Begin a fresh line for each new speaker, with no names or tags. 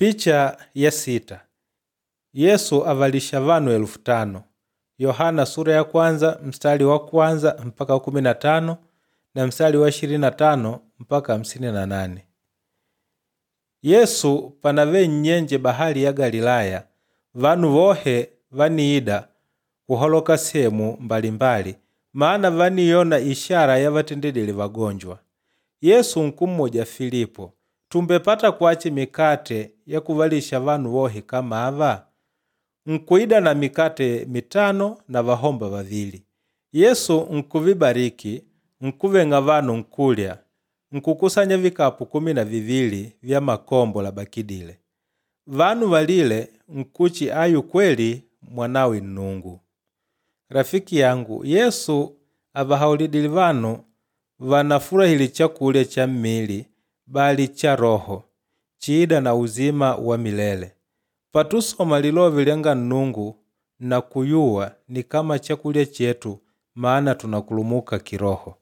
Picha ya 6. Yesu avalisha vanu 5,000. Yohana sura ya kwanza mstari wa kwanza mpaka 15 na mstari wa 25 mpaka 58. Yesu panave nnyenje bahali ya Galilaya, vanu vohe vaniida kuhaloka sehemu mbalimbali, maana vaniyona ishara yavatendedile vagonjwa. Yesu nkummuja Filipo, tumbepata kwachi mikate ya kuvalisha vanu vohe kama ava? Nkuida na mikate 5 na vahomba 2. Yesu nkuvibariki, nkuveng'a vanu nkulya, nkukusanya vikapu 12 vya makombo labakidile. Vanu valile nkuchi ayu kweli mwanawe Nnungu. Rafiki yangu, Yesu avahaulidile vanu vanafurahile chakulya cha mmili bali cha roho, chiida na uzima wa milele. Patusoma lilove lyanga Nnungu na kuyuwa ni kama chakulya chetu maana tunakulumuka kiroho.